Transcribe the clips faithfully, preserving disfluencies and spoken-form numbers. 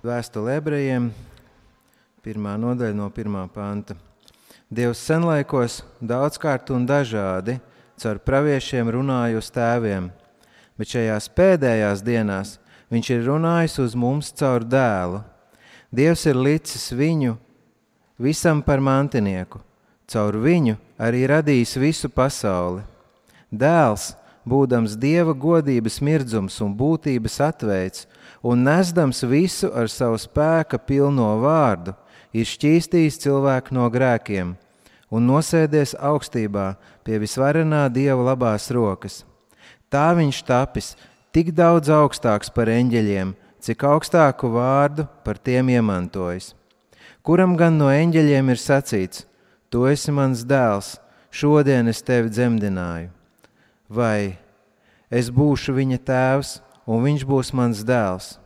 Vēstule ebrejiem, pirmā nodaļa no pirmā panta. Dievs senlaikos daudzkārt un dažādi caur praviešiem runāja uz tēviem, bet šajās pēdējās dienās viņš ir runājis uz mums caur dēlu. Dievs ir licis viņu visam par mantinieku, caur viņu arī radījis visu pasauli. Dēls, būdams Dieva godības mirdzums un būtības atveids, un nesdams visu ar savu spēka pilno vārdu, ir šķīstījis cilvēku no grēkiem un nosēdies augstībā pie visvarenā Dieva labās rokas. Tā viņš tapis tik daudz augstāks par eņģeļiem, cik augstāku vārdu par tiem iemantojis. Kuram gan no eņģeļiem ir sacīts: tu esi mans dēls, šodien es tevi dzemdināju. Vai es būšu viņa tēvs, un viņš būs mans dēls.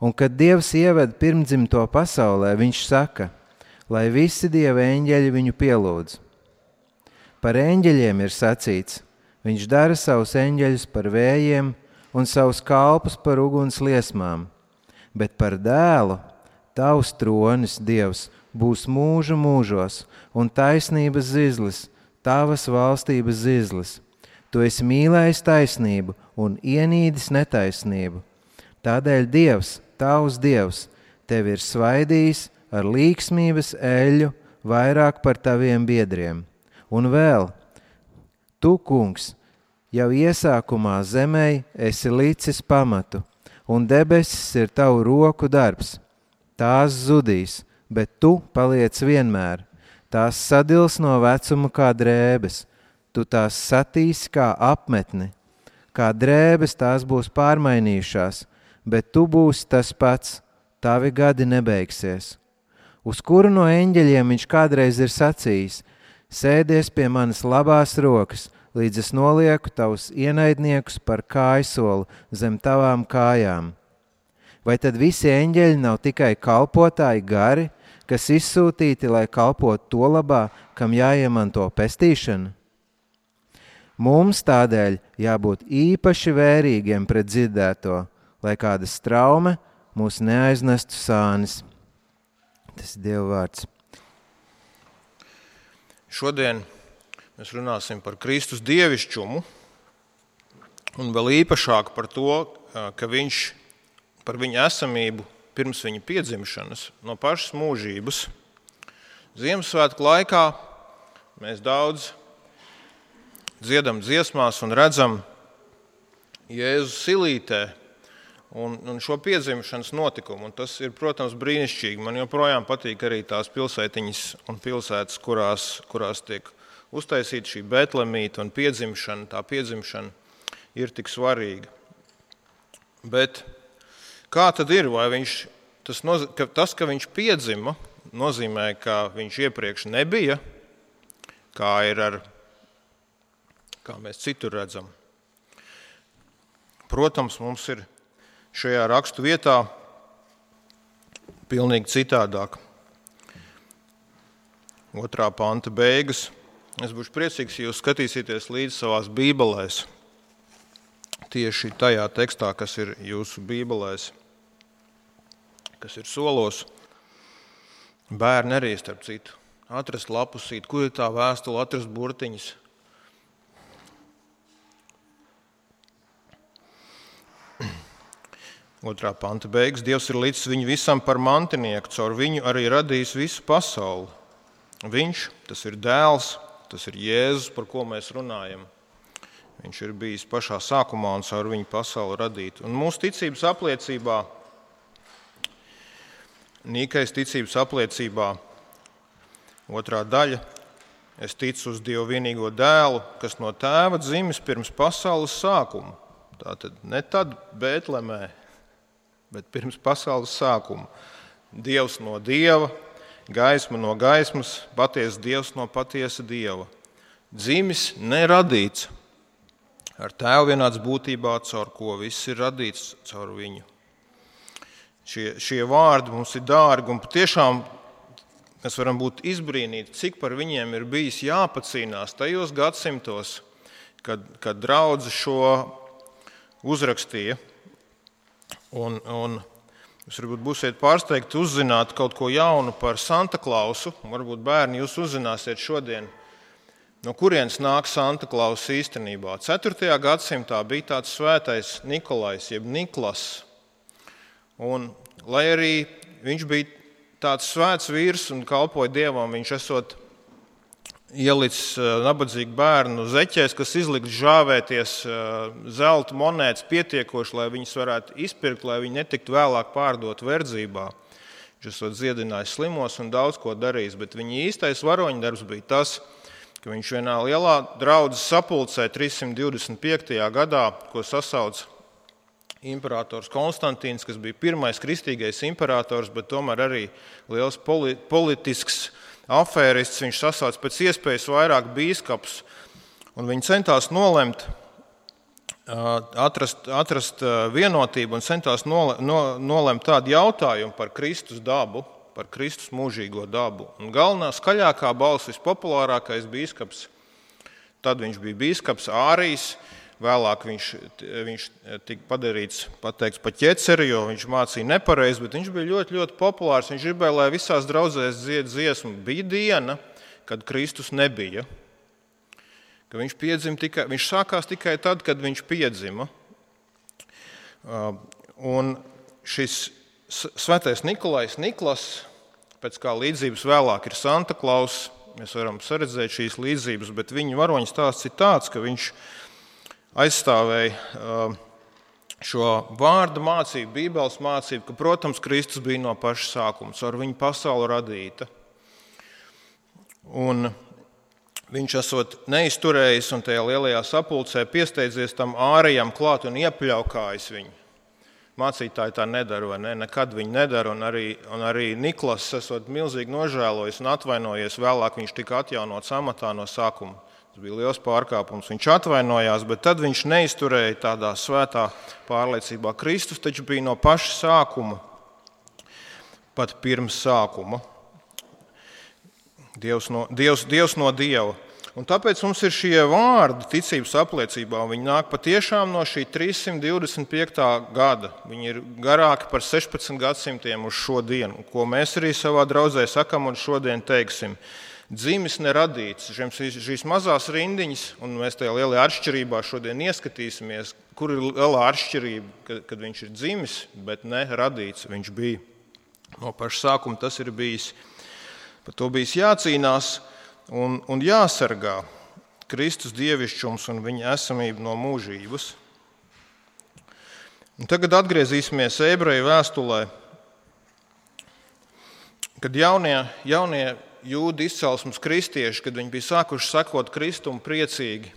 Un kad Dievs ieved pirmdzimto pasaulē, viņš saka, lai visi Dieva eņģeļi viņu pielūdz. Par eņģeļiem ir sacīts: viņš dara savus eņģeļus par vējiem un savus kalpus par uguns liesmām. Bet par dēlu tavs tronis, Dievs, būs mūžu mūžos, un taisnības zizlis, tavas valstības zizlis. Tu esi mīlējis taisnību un ienīdis netaisnību. Tādēļ Dievs, tavs Dievs, tevi ir svaidījis ar līksmības eļļu vairāk par taviem biedriem. Un vēl, tu, kungs, jau iesākumā zemei esi licis pamatu, un debesis ir tavu roku darbs. Tās zudīs, bet tu paliec vienmēr. Tās sadils no vecuma kā drēbes. Tu tās satīsi kā apmetni, kā drēbes tās būs pārmainījušās, bet tu būsi tas pats, tavi gadi nebeigsies. Uz kuru no eņģeļiem viņš kādreiz ir sacījis: sēdies pie manas labās rokas, līdz es nolieku tavus ienaidniekus par kājsoli zem tavām kājām. Vai tad visi eņģeļi nav tikai kalpotāji gari, kas izsūtīti, lai kalpotu to labā, kam jāiemanto pestīšana? Mums tādēļ jābūt īpaši vērīgiem pret dzirdēto, lai kāda straume mūs neaiznestu sānis. Tas ir Dieva vārds. Šodien mēs runāsim par Kristus dievišķumu un vēl īpašāk par to, ka viņš par viņa esamību pirms viņa piedzimšanas no pašas mūžības. Ziemassvētku laikā mēs daudz dziedam dziesmās un redzam Jēzus silītē un, un šo piedzimšanas notikumu. Un tas ir, protams, brīnišķīgi. Man joprojām patīk arī tās pilsētiņas un pilsētas, kurās, kurās tiek uztaisīta šī Betlemīte un piedzimšana. Tā piedzimšana ir tik svarīga. Bet kā tad ir? Vai viņš, tas, noz, ka, tas, ka viņš piedzima, nozīmē, ka viņš iepriekš nebija, kā ir ar kā mēs citur redzam. Protams, mums ir šajā rakstu vietā pilnīgi citādāk. Otrā panta beigas. Es būšu priecīgs, ja jūs skatīsieties līdzi savās bībelēs. Tieši tajā tekstā, kas ir jūsu bībelēs, kas ir solos. Bērni arī, starp citu, atrast lapusīt, kur ir tā vēstule, atrast burtiņas. Otrā panta beigas. Dievs ir licis viņu visam par mantinieku, caur viņu arī radījis visu pasauli. Viņš, tas ir dēls, tas ir Jēzus, par ko mēs runājam. Viņš ir bijis pašā sākumā un caur viņu pasauli radīt. Un mūsu ticības apliecībā, Nīkais ticības apliecībā, otrā daļa, es ticu uz Dievu vienīgo dēlu, kas no tēva dzimis pirms pasaules sākuma. Tātad ne tad Bētlemē, bet pirms pasaules sākuma. Dievs no Dieva, gaisma no gaismas, patiesa Dievs no patiesa Dieva. Dzimis neradīts, ar tēvu vienāds būtībā, caur ko viss ir radīts, caur viņu. Šie, šie vārdi mums ir dārgi un patiešām mēs varam būt izbrīnīti, cik par viņiem ir bijis jāpacīnās tajos gadsimtos, kad, kad draudze šo uzrakstīja. Un, un Jūs varbūt būsiet pārsteigti uzzināt kaut ko jaunu par Santa Klausu. Varbūt bērni jūs uzzināsiet šodien, no kurienes nāk Santa Klaus īstenībā. ceturtajā gadsimtā bija tāds svētais Nikolais, jeb Niklas. Un, lai arī viņš bija tāds svēts vīrs un kalpoja Dievam, viņš esot ielicis nabadzīgu bērnu zeķēs, kas izliks žāvēties zelta monētas pietiekoši, lai viņas varētu izpirkt, lai viņi netiktu vēlāk pārdot verdzībā. Viņš esot dziedinājis slimos un daudz ko darījis, bet viņa īstais varoņdarbs bija tas, ka viņš vienā lielā draudzes sapulcē trīssimt divdesmit piektajā gadā, ko sasauc imperators Konstantīns, kas bija pirmais kristīgais imperators, bet tomēr arī liels politisks afērists, viņš sasauc pēc iespējas vairāk bīskapus, un viņi centās nolemt, atrast, atrast vienotību un centās nole, no, nolemt tādu jautājumu par Kristus dabu, par Kristus mūžīgo dabu. Un galvenā skaļākā balss, vispopulārākais bīskaps, tad viņš bija bīskaps Ārijs, vēlāk viņš, viņš tika padarīts, pateikts pa ķeceri, jo viņš mācīja nepareizi, bet viņš bija ļoti, ļoti populārs. Viņš gribēja, lai visās draudzēs dzied dziesmu. Bija diena, kad Kristus nebija. Ka viņš, piedzima tikai, viņš sākās tikai tad, kad viņš piedzima. Un šis svētais Nikolais Niklas, pēc kā līdzības vēlāk ir Santa Klaus, mēs varam saredzēt šīs līdzības, bet viņa varoņa stāsts ir tāds, ka viņš aizstāvēja šo vārda mācību, Bībeles mācību, ka, protams, Kristus bija no paša sākuma, ar viņu pasauli radīta. Un viņš esot neizturējis un tajā lielajā sapulcē piesteidzies tam ārējam klāt un iepļaukājis viņu. Mācītāji tā nedara, vai ne? Nekad viņi nedara, un arī, un arī Niklas esot milzīgi nožēlojis un atvainojies, vēlāk viņš tika atjaunots amatā no sākuma. Tas bija liels pārkāpums. Viņš atvainojās, bet tad viņš neizturēja tādā svētā pārliecībā. Kristus taču bija no paša sākuma, pat pirms sākuma. Dievs no, Dievs, Dievs no Dieva. Un tāpēc mums ir šie vārdi ticības apliecībā. Viņi nāk patiešām no šī trīssimt divdesmit piektā gada. Viņi ir garāki par sešpadsmit gadsimtiem uz šo dienu, ko mēs arī savā draudzē sakam un šodien teiksim. Dzimis neradīts, šīs mazās rindiņas, un mēs tajā lielajā atšķirībā šodien ieskatīsimies, kur ir lielā atšķirība, kad viņš ir dzimis, bet ne radīts. Viņš bija no paša sākuma, tas ir bijis, par to bijis jācīnās un, un jāsargā Kristus dievišķums un viņa esamība no mūžības. Un tagad atgriezīsimies Ebreju vēstulē, kad jaunie, jaunie jūdu izcelsmes kristieši, kad viņi bija sākuši sekot Kristumu priecīgi,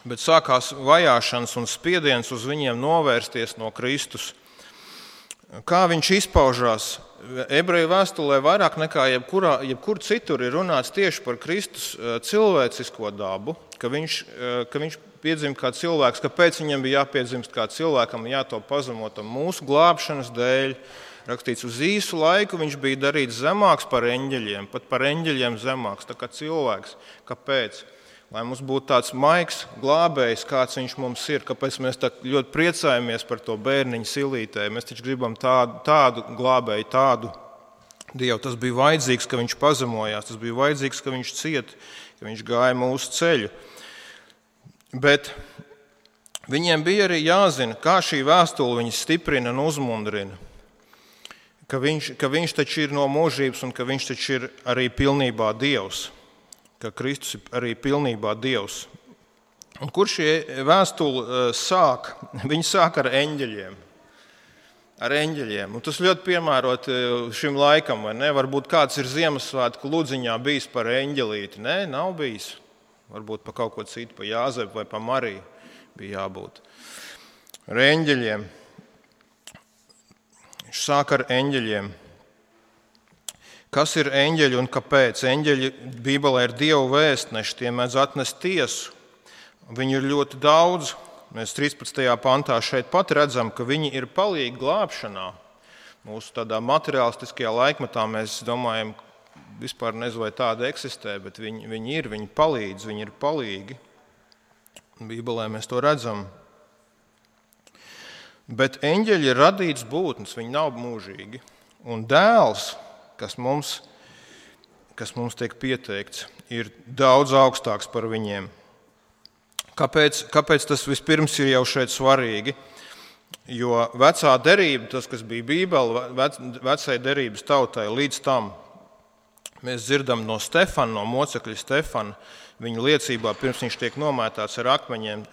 bet sākās vajāšanas un spiediens uz viņiem novērsties no Kristus. Kā viņš izpaužās? Ebreju vēstulē vairāk nekā jebkurā, jebkur citur ir runāts tieši par Kristus cilvēcisko dabu, ka viņš, ka viņš piedzima kā cilvēks, kāpēc viņam bija jāpiedzimst kā cilvēkam, jātop pazemotam mūsu glābšanas dēļ. Rakstīts, uz īsu laiku viņš bija darīts zemāks par eņģeļiem, pat par eņģeļiem zemāks, tā kā cilvēks. Kāpēc? Lai mums būtu tāds maigs glābējs, kāds viņš mums ir, kāpēc mēs tā ļoti priecājamies par to bērniņu silītē. Mēs taču gribam tādu, tādu glābēju, tādu Dievu. Tas bija vajadzīgs, ka viņš pazemojās, tas bija vajadzīgs, ka viņš ciet, ka viņš gāja mūsu ceļu. Bet viņiem bija arī jāzina, kā šī vēstule viņus stiprina un uzmundrina. Ka viņš, ka viņš taču ir no mūžības un ka viņš taču ir arī pilnībā Dievs. Ka Kristus ir arī pilnībā Dievs. Un kur šie vēstuli sāk? Viņi sāk ar eņģeļiem. Ar eņģeļiem. Un tas ļoti piemērot šim laikam, vai ne? Varbūt kāds ir Ziemassvētku ludziņā bijis par eņģelīti. Nē, nav bijis. Varbūt pa kaut ko citu, pa Jāzepu vai pa Mariju bija jābūt. Ar eņģeļiem. Viņš sāk ar eņģeļiem. Kas ir eņģeļi un kāpēc? Eņģeļi Bībelē ir Dievu vēstneši, tie mēdz atnest tiesu. Viņi ir ļoti daudz. Mēs trīspadsmitajā pantā šeit pat redzam, ka viņi ir palīgi glābšanā. Mūsu tādā materiālistiskajā laikmetā mēs domājam, vispār nezinu, vai tāda eksistē, bet viņi, viņi ir, viņi palīdz, viņi ir palīgi. Bībelē mēs to redzam. Bet eņģeļi ir radīts būtnes, viņi nav mūžīgi. Un dēls, kas mums, kas mums tiek pieteikts, ir daudz augstāks par viņiem. Kāpēc, kāpēc tas vispirms ir jau šeit svarīgi? Jo vecā derība, tas, kas bija Bībele, vec, vecai derības tautai, līdz tam mēs dzirdam no Stefana, no mocekļa Stefana, viņa liecībā, pirms viņš tiek nomētāts ar akmeņiem,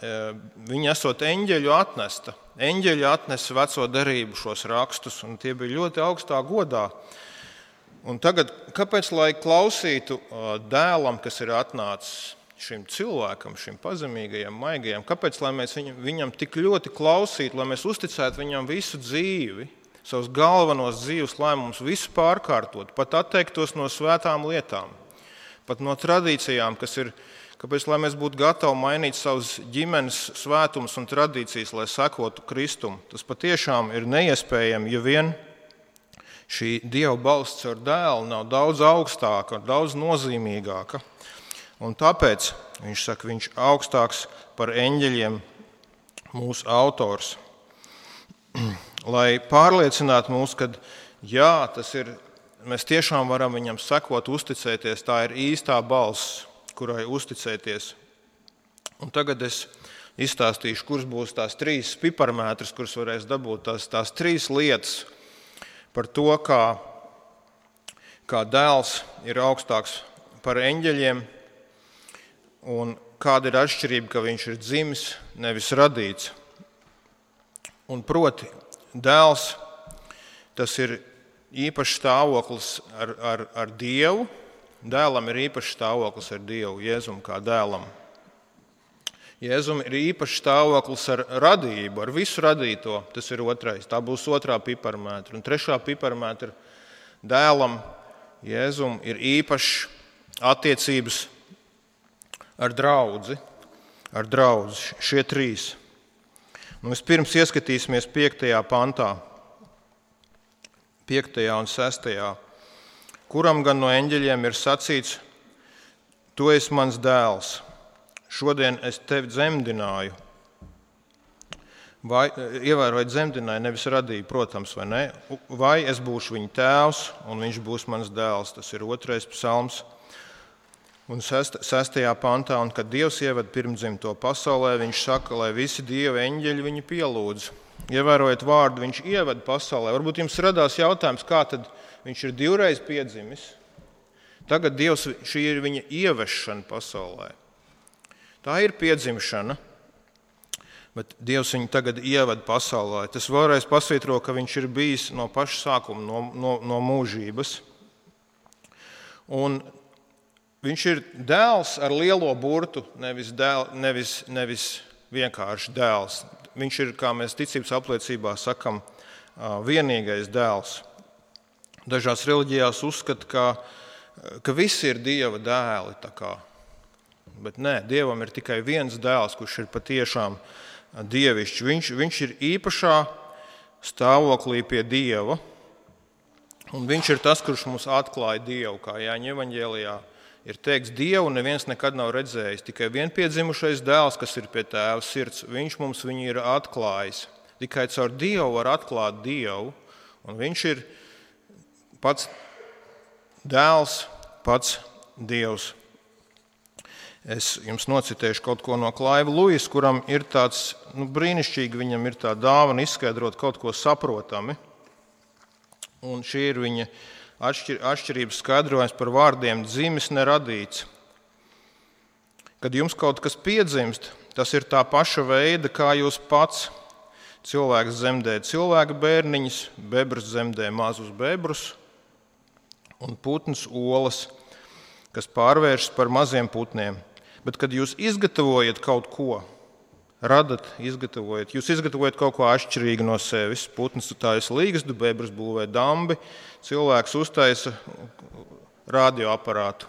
viņa esot eņģeļu atnesta. Eņģeļi atnesa veco derību šos rakstus, un tie bija ļoti augstā godā. Un tagad, kāpēc, lai klausītu dēlam, kas ir atnācis šim cilvēkam, šim pazemīgajam, maigajam, kāpēc, lai mēs viņam, viņam tik ļoti klausītu, lai mēs uzticētu viņam visu dzīvi, savus galvenos dzīves lēmumus, visu pārkārtot, pat atteiktos no svētām lietām, pat no tradīcijām, kas ir, kāpēc, lai mēs būtu gatavi mainīt savus ģimenes svētumus un tradīcijas, lai sekotu Kristum. Tas patiešām ir neiespējami, ja vien šī Dieva balss ar dēlu nav daudz augstāka, daudz nozīmīgāka. Un tāpēc viņš saka, viņš augstāks par eņģeļiem, mūsu autors. Lai pārliecinātu mūs, ka jā, tas ir, mēs tiešām varam viņam sekot, uzticēties, tā ir īstā balss, kurai uzticēties. Un tagad es izstāstīšu, kuras būs tās trīs piparmētras, kuras varēs dabūt, tās, tās trīs lietas par to, kā, kā dēls ir augstāks par eņģeļiem, un kāda ir atšķirība, ka viņš ir dzimis, nevis radīts. Un proti, dēls, tas ir īpašs stāvoklis ar, ar, ar Dievu. Dēlam ir īpašs stāvoklis ar Dievu, Jēzum kā dēlam. Jēzum ir īpašs stāvoklis ar radību, ar visu radīto. Tas ir otrais. Tā būs otrā piparmētra. Un trešā piparmētra dēlam, Jēzum, ir īpašs attiecības ar draudzi, ar draudzi, šie trīs. Nu, vispirms ieskatīsimies piektajā pantā, piektajā un sestajā, kuram gan no eņģeļiem ir sacīts, tu esi mans dēls, šodien es tevi dzemdināju. Vai, ievērojot dzemdināju, nevis radīju, protams, vai ne? Vai es būšu viņa tēvs, un viņš būs mans dēls. Tas ir otrais psalms. Un sestajā pantā, un kad Dievs ieved pirmdzimto pasaulē, viņš saka, lai visi Dieva eņģeļi viņu pielūdz. Ievērojot vārdu, viņš ieved pasaulē. Varbūt jums radās jautājums, kā tad viņš ir divreiz piedzimis. Tagad Dievs, šī ir viņa ievešana pasaulē. Tā ir piedzimšana, bet Dievs viņu tagad ieved pasaulē. Tas vēlreiz pasvītro, ka viņš ir bijis no paša sākuma, no, no, no mūžības. Un viņš ir dēls ar lielo burtu, nevis, dēl, nevis, nevis vienkārši dēls. Viņš ir, kā mēs ticības apliecībā sakam, vienīgais dēls. Dažās reliģijās uzskata, ka, ka visi ir Dieva dēli. Tā kā. Bet nē, Dievam ir tikai viens dēls, kurš ir patiešām dievišķs. Viņš, viņš ir īpašā stāvoklī pie Dieva. Un viņš ir tas, kurš mums atklāja Dievu, kā Jāņa evaņģēlijā ir teikts, Dievu neviens nekad nav redzējis, tikai vienpiedzimušais dēls, kas ir pie tēva sirds, viņš mums viņu ir atklājis. Tikai caur Dievu var atklāt Dievu, un viņš ir pats dēls, pats Dievs. Es jums nocitēšu kaut ko no Klaiva Luisa, kuram ir tāds, nu, brīnišķīgi, viņam ir tā dāvana izskaidrot kaut ko saprotami, un šī ir viņa Atšķir, atšķirības skaidrojums par vārdiem dzimis neradīts. Kad jums kaut kas piedzimst, tas ir tā paša veida, kā jūs pats. Cilvēks dzemdē cilvēka bērniņus, bebrs dzemdē mazus bebrus un putns olas, kas pārvēršas par maziem putniem. Bet, kad jūs izgatavojat kaut ko, radat, izgatavojat, jūs izgatavojat kaut ko atšķirīgu no sevis. Putns taisa līgstu, bebrs būvē dambi, cilvēks uztaisa radioaparātu.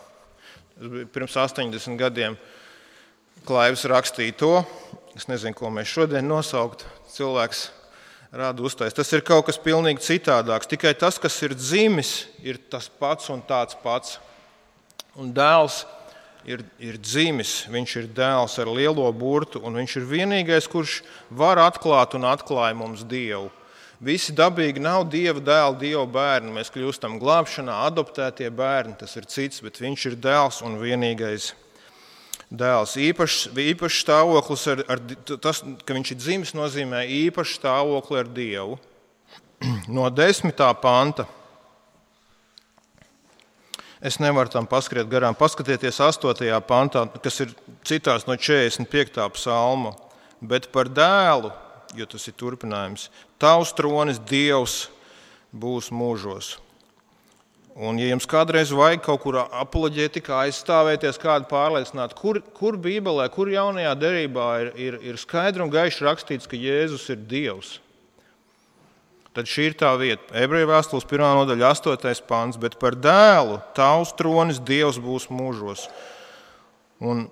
Pirms astoņdesmit gadiem Klaivs rakstīja to, es nezinu, ko mēs šodien nosaukt, cilvēks rada uztaisa. Tas ir kaut kas pilnīgi citādāks, tikai tas, kas ir dzimis, ir tas pats un tāds pats. Un dēls ir, ir dzimis, viņš ir dēls ar lielo burtu, un viņš ir vienīgais, kurš var atklāt un atklāja mums Dievu. Visi dabīgi nav Dieva dēli, Dieva bērni. Mēs kļūstam glābšanā, adoptētie bērni, tas ir cits, bet viņš ir dēls un vienīgais dēls. Īpašs, īpašs stāvoklis, ar, ar, tas, ka viņš ir dzimis, nozīmē īpašu stāvokli ar Dievu. No desmitā panta. Es nevaru tam paskriet garām. Paskatieties astotajā pantā, kas ir citās no četrdesmit piektā psalma. Bet par dēlu, jo tas ir turpinājums, tavs tronis Dievs būs mūžos. Un, ja jums kādreiz vajag kaut kur apoloģētikā aizstāvēties, kādu pārliecināt, kur, kur Bībelē, kur jaunajā derībā ir, ir, ir skaidri un gaiši rakstīts, ka Jēzus ir Dievs, tad šī ir tā vieta. Ebreju vēstules pirmā nodaļa, astotais pants, bet par dēlu tavs tronis Dievs būs mūžos. Un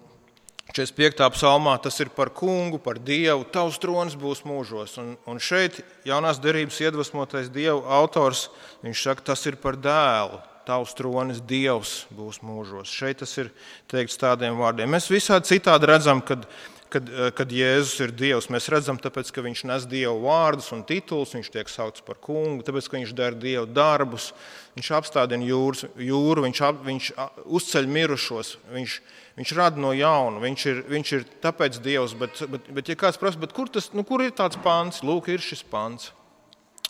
četrdesmit piektā psalmā tas ir par kungu, par Dievu, tavs tronis būs mūžos. Un, un šeit jaunās derības iedvesmotais Dievu autors, viņš saka, tas ir par dēlu, tavs tronis Dievs būs mūžos. Šeit tas ir teikts tādiem vārdiem. Mēs visādi citādi redzam, kad, kad, kad Jēzus ir Dievs. Mēs redzam, tāpēc, ka viņš nes Dievu vārdus un tituls, viņš tiek saukts par kungu, tāpēc, ka viņš dara Dievu darbus, viņš apstādina jūras, jūru, viņš, ap, viņš uzceļ mirušos, viņš Viņš rada no jauna, viņš ir, viņš ir tāpēc Dievs, bet, bet, bet ja kāds prasa, bet kur, tas, nu, kur ir tāds pants? Lūk, ir šis pants.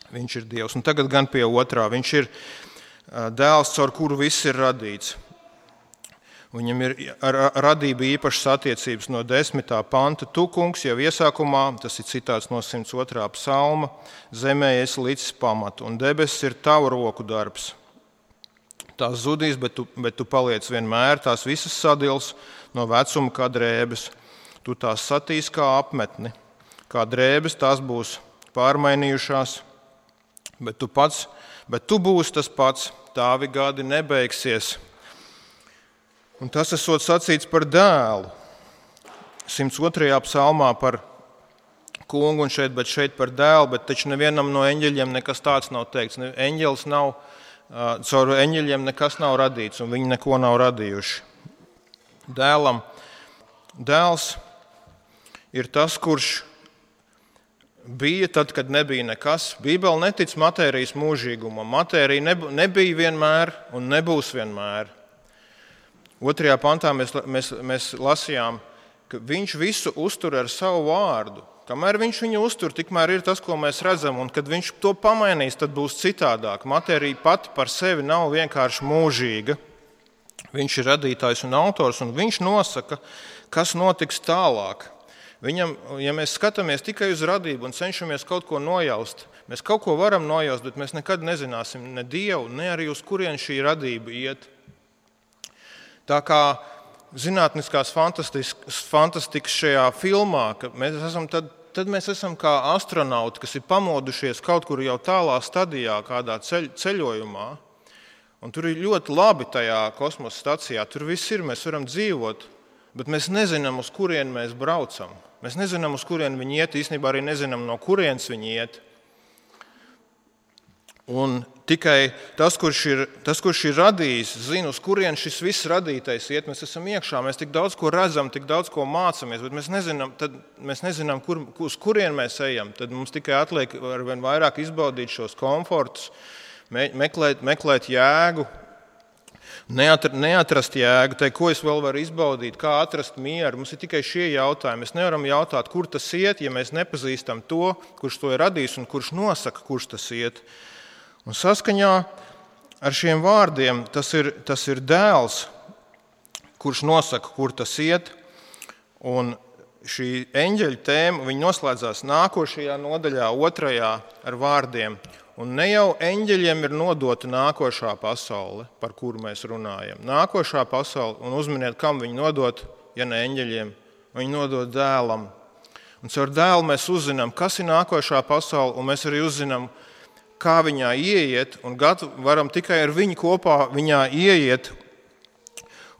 Viņš ir Dievs. Un tagad gan pie otrā. Viņš ir dēls, caur kuru viss ir radīts. Viņam ir ar radība īpašas attiecības no desmitā panta. Tu, kungs, jau iesākumā, tas ir citāts no simts otrā psalma, zemē esi licis pamatu, un debesis ir tavu roku darbs. Tās zudīs, bet tu, bet tu paliec vienmēr, tās visas sadils no vecuma kā drēbes. Tu tās satīs kā apmetni, kā drēbes tās būs pārmainījušās, bet tu pats, bet tu būsi tas pats, tavi gadi nebeigsies. Un tas esot sacīts par dēlu. simts otrajā psalmā par kungu un šeit, bet šeit par dēlu, bet taču nevienam no eņģeļiem nekas tāds nav teikts. Eņģelis nav Caur eņģeļiem nekas nav radīts, un viņi neko nav radījuši. Dēlam, dēls ir tas, kurš bija tad, kad nebija nekas. Bībele netic matērijas mūžīgumam. Matērija nebija vienmēr un nebūs vienmēr. Otrajā pantā mēs, mēs, mēs lasījām, ka viņš visu uztur ar savu vārdu. Kamēr viņš viņu uztur, tikmēr ir tas, ko mēs redzam, un kad viņš to pamainīs, tad būs citādāk. Matērija pati par sevi nav vienkārši mūžīga. Viņš ir radītājs un autors, un viņš nosaka, kas notiks tālāk. Viņam, ja mēs skatāmies tikai uz radību un cenšamies kaut ko nojaust, mēs kaut ko varam nojaust, bet mēs nekad nezināsim ne Dievu, ne arī uz kurien šī radība iet. Tā kā zinātniskās fantastikas, fantastikas šajā filmā, ka mēs esam tad, tad mēs esam kā astronauti, kas ir pamodušies kaut kur jau tālā stadijā, kādā ceļ, ceļojumā. Un tur ir ļoti labi tajā kosmosa stacijā, tur viss ir, mēs varam dzīvot, bet mēs nezinām, uz kurien mēs braucam. Mēs nezinām, uz kurien viņi iet, īstenībā arī nezinām, no kurienes viņi iet. Un tikai tas, kurš ir, tas, kurš ir radījis, zina, uz kurien šis viss radītais iet. Mēs esam iekšā, mēs tik daudz ko redzam, tik daudz ko mācāmies, bet mēs nezinām, tad mēs nezinām kur, uz kurien mēs ejam. Tad mums tikai atliek ar vien vairāk izbaudīt šos komfortus, meklēt, meklēt jēgu, neatrast, neatrast jēgu, tai, ko es vēl varu izbaudīt, kā atrast mieru. Mums ir tikai šie jautājumi. Mēs nevaram jautāt, kur tas iet, ja mēs nepazīstam to, kurš to ir radījis un kurš nosaka, kurš tas iet. Un saskaņā ar šiem vārdiem tas ir, tas ir dēls, kurš nosaka, kur tas iet. Un šī eņģeļa tēma, viņa noslēdzās nākošajā nodaļā, otrajā ar vārdiem. Un ne jau eņģeļiem ir nodota nākošā pasaule, par kuru mēs runājam. Nākošā pasaule, un uzminiet, kam viņi nodot, ja ne eņģeļiem, viņi nodot dēlam. Un caur dēlu mēs uzzinām, kas ir nākošā pasaule, un mēs arī uzzinām, kā viņā ieiet, un varam tikai ar viņu kopā viņā ieiet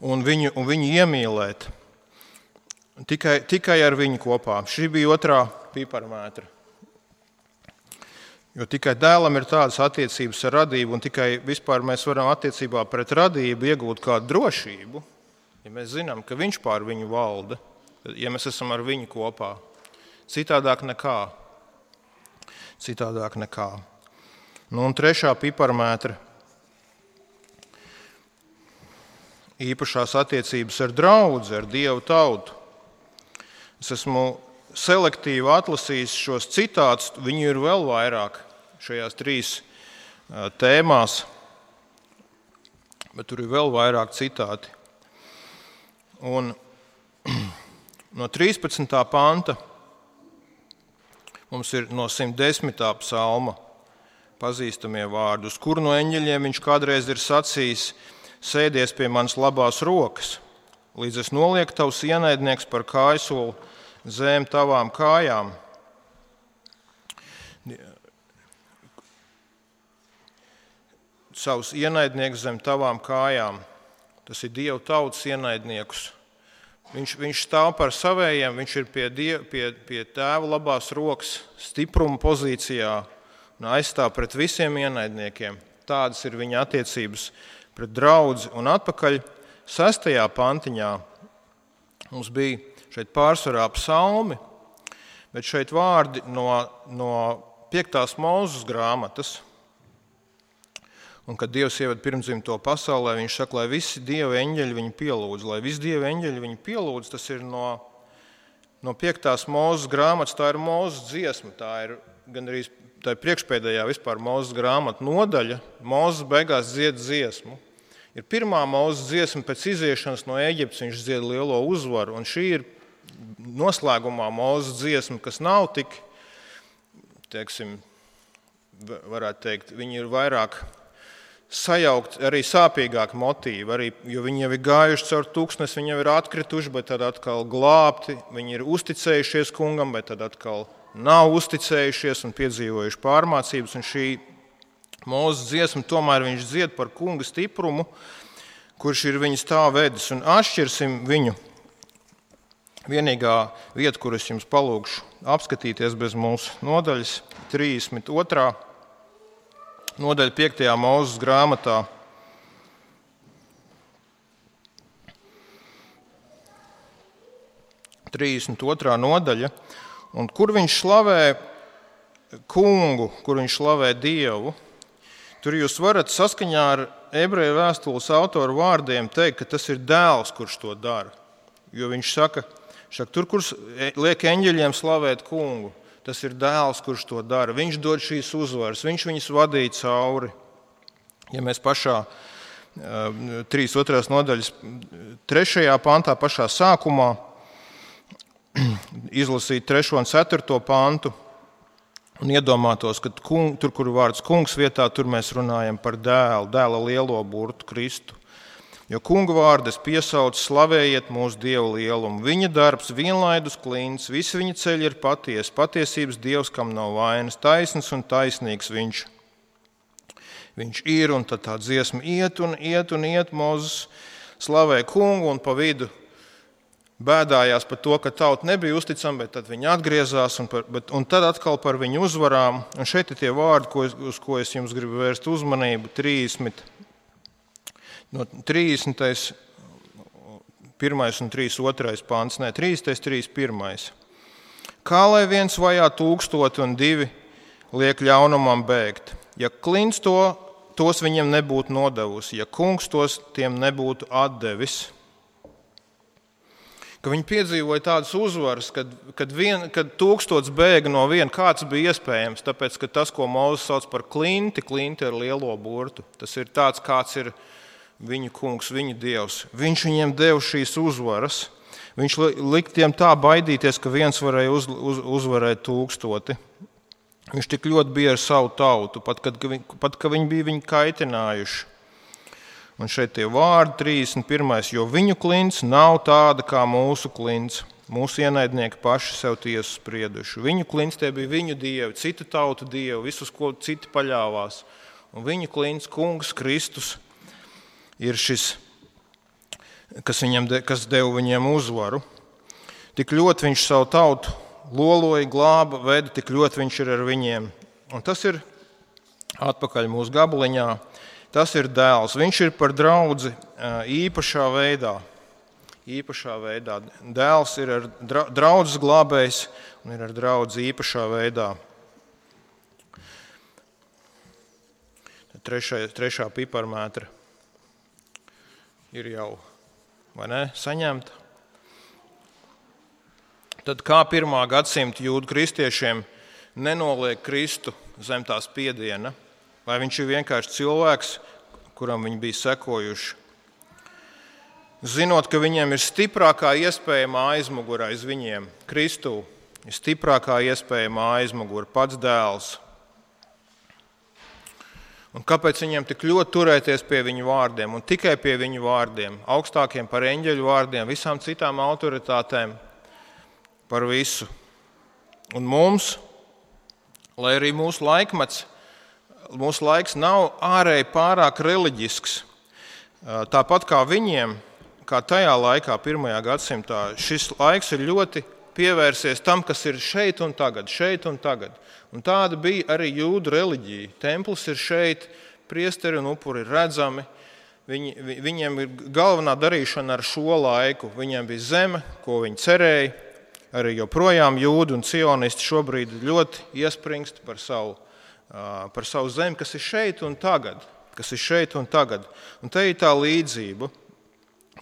un viņu, un viņu iemīlēt. Tikai, tikai ar viņu kopā. Šī bija otrā piparmētra. Jo tikai dēlam ir tādas attiecības ar radību, un tikai vispār mēs varam attiecībā pret radību iegūt kādu drošību. ja mēs zinām, ka viņš pār viņu valda, ja mēs esam ar viņu kopā. Citādāk nekā. Citādāk nekā. Nu, un trešā piparmētra īpašās attiecības ar draudzi, ar Dievu tautu. Es esmu selektīvi atlasījis šos citātus, viņu ir vēl vairāk šajās trīs tēmās, bet tur ir vēl vairāk citāti. Un no trīspadsmitā panta mums ir no simt desmitā psalma pazīstamie vārdi, uz kuru no eņģeļiem viņš kādreiz ir sacījis: sēdies pie manas labās rokas, līdz es nolieku tavus ienaidnieks par kājsoli zem tavām kājām. Savus ienaidniekus zem tavām kājām. Tas ir Dieva tautas ienaidniekus. Viņš, viņš stāv par savējiem, viņš ir pie, diev, pie, pie tēva labās rokas stipruma pozīcijā un aizstāv pret visiem ienaidniekiem. Tādas ir viņa attiecības pret draudzi. Un atpakaļ sestajā pantiņā mums bija šeit pārsvarā psalmi, bet šeit vārdi no, no piektās Mūzes grāmatas. Un, kad Dievs ieved pirmdzimto pasaulē, viņš saka, lai visi Dieva eņģeļi viņu pielūdz. Lai visi Dieva eņģeļi viņu pielūdz, tas ir no, no piektās Mūzes grāmatas, tā ir Mūzes dziesma, tā ir gan arī tā ir priekšpēdējā vispār Mūzes grāmata nodaļa. Mūzes beigās dzied dziesmu. Ir pirmā Mūzes dziesma pēc iziešanas no Ēģiptes, viņš dzied lielo uzvaru, un šī ir noslēgumā Mūzes dziesma, kas nav tik, teiksim, varētu teikt, viņi ir vairāk sajaukt, arī sāpīgāk motīvi, arī, jo viņi jau ir gājuši caur tūkstnesi, viņi jau ir atkrituši, bet tad atkal glābti, viņi ir uzticējušies kungam, bet tad atkal nav uzticējušies un piedzīvojuši pārmācības, un šī Mūzes dziesma tomēr viņš dzied par kunga stiprumu, kurš ir viņa stāv vedis, un atšķirsim viņu. Vienīgā vieta, kur es jums palūgšu apskatīties bez mūsu nodaļas, trīsdesmit otrā nodaļa piektajā Mūzes grāmatā. trīsdesmit otrā nodaļa, un kur viņš slavē kungu, kur viņš slavē Dievu. Tur jūs varat saskaņā ar ebreju vēstules autoru vārdiem teikt, ka tas ir dēls, kurš to dara. Jo viņš saka, šak, tur, kur liek eņģeļiem slavēt kungu, tas ir dēls, kurš to dara. Viņš dod šīs uzvaras, viņš viņus vadīja cauri. Ja mēs pašā trīsdesmit otrās nodaļas trešajā pantā, pašā sākumā, izlasīt trešo un ceturto pantu, un iedomātos, ka kung, tur, kur vārds kungs vietā, tur mēs runājam par dēlu, dēla lielo burtu Kristu. Jo kunga vārdas piesauc, slavējiet mūsu Dievu lielumu. Viņa darbs vienlaidus klints, visi viņa ceļi ir patiesi, patiesības Dievs, kam nav vainas, taisns un taisnīgs viņš. Viņš ir, un tad tā dziesma iet un iet un iet, Mūzes slavē kungu, un pa vidu bēdājās par to, ka tauta nebija uzticama, bet tad viņi atgriezās, un, par, bet, un tad atkal par viņu uzvarām. Un šeit ir tie vārdi, ko es, uz ko es jums gribu vērst uzmanību. trīsdesmit, no trīsdesmit pirmais un trīsdesmit otrais pants, ne, trīsdesmit trīsdesmit pirmais. Kā lai viens vajā tūkstoti un divi liek ļaunumam bēgt? Ja klints to, tos viņiem nebūtu nodevusi, ja kungs tos tiem nebūtu atdevis. Ka viņi piedzīvoja tādas uzvaras, kad, kad, vien, kad tūkstots bēga no viena, kāds bija iespējams, tāpēc, ka tas, ko Mūzes sauc par klinti, klinti ar lielo burtu, tas ir tāds, kāds ir viņu kungs, viņu Dievs. Viņš viņiem deva šīs uzvaras. Viņš lika tiem tā baidīties, ka viens varēja uz, uz, uzvarēt tūkstoti. Viņš tik ļoti bija ar savu tautu, pat kad, pat, ka viņi bija viņu kaitinājuši. Un šeit tie vārdi trīsdesmit pirmais, jo viņu klints nav tāda kā mūsu klints. Mūsu ienaidnieki paši sev tiesu sprieduši. Viņu klints tie bija viņu dievi, citu tautu dievi, visus, ko citi paļāvās. Un viņu klints, kungs Kristus, ir šis, kas, viņam de, kas deva viņiem uzvaru. Tik ļoti viņš savu tautu loloja, glāba, veda, tik ļoti viņš ir ar viņiem. Un tas ir atpakaļ mūsu gabaliņā. Tas ir dēls. Viņš ir par draudzi īpašā veidā. īpašā veidā. Dēls ir ar draudzes glābējs un ir ar draudzi īpašā veidā. Trešā, trešā piparmētra ir jau, vai ne, saņemta. Tad kā pirmā gadsimta jūdu kristiešiem nenoliek Kristu zem tās spiediena, vai viņš ir vienkārši cilvēks, kuram viņi bija sekojuši. Zinot, ka viņiem ir stiprākā iespējamā aizmugura aiz viņiem, Kristū ir stiprākā iespējamā aizmugura, pats dēls. Un kāpēc viņiem tik ļoti turēties pie viņu vārdiem un tikai pie viņu vārdiem, augstākiem par eņģeļu vārdiem, visām citām autoritātēm, par visu. Un mums, lai arī mūsu laikmets, mūsu laiks nav ārēji pārāk reliģisks, tāpat kā viņiem, kā tajā laikā, pirmajā gadsimtā, šis laiks ir ļoti pievērsies tam, kas ir šeit un tagad, šeit un tagad. Un tāda bija arī jūdu reliģija. Templis ir šeit, priesteri un upuri ir redzami. Viņi, viņiem ir galvenā darīšana ar šo laiku. Viņiem bija zeme, ko viņi cerēja. Arī joprojām jūdi un cionisti šobrīd ļoti iespringst par savu, par savu zemi, kas ir šeit un tagad. Kas ir šeit un tagad. Un te ir tā līdzība.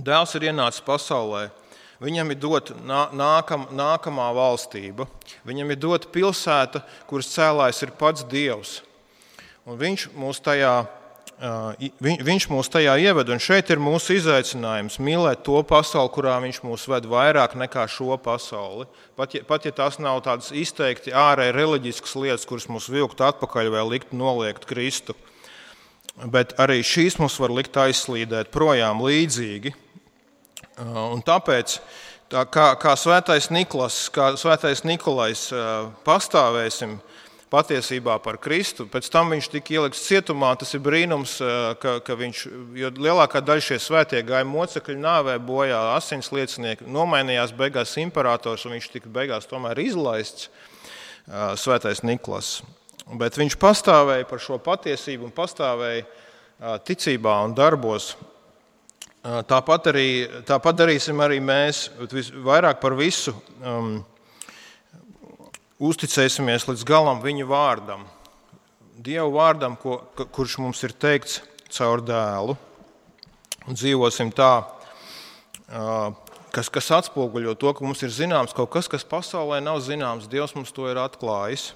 Dēls ir ienācis pasaulē. Viņam ir dota nākam, nākamā valstība. Viņam ir dota pilsēta, kuras cēlājs ir pats Dievs. Un viņš mūs tajā, viņ, viņš mūs tajā ieved, un šeit ir mūsu izaicinājums mīlēt to pasauli, kurā viņš mūs ved vairāk nekā šo pasauli. Pat ja, pat ja tās nav tādas izteikti ārēji reliģiskas lietas, kuras mūs vilkt atpakaļ vai likt noliegt Kristu. Bet arī šīs mūs var likt aizslīdēt projām līdzīgi. Un tāpēc, tā kā, kā svētais Niklas, kā svētais Nikolais pastāvēsim patiesībā par Kristu, pēc tam viņš tika ielikts cietumā, tas ir brīnums, ka, ka viņš, jo lielākā daļa šie svētie gāja mocekļu nāvē bojā, asins liecinieki, nomainījās beigās imperators, un viņš tika beigās tomēr izlaists, svētais Niklas. Bet viņš pastāvēja par šo patiesību un pastāvēja ticībā un darbos. Tāpat, arī, tāpat darīsim arī mēs, vairāk par visu um, uzticēsimies līdz galam viņu vārdam, Dievu vārdam, ko, kurš mums ir teikts caur dēlu, un dzīvosim tā, uh, kas, kas atspoguļo to, ka mums ir zināms kaut kas, kas pasaulē nav zināms, Dievs mums to ir atklājis.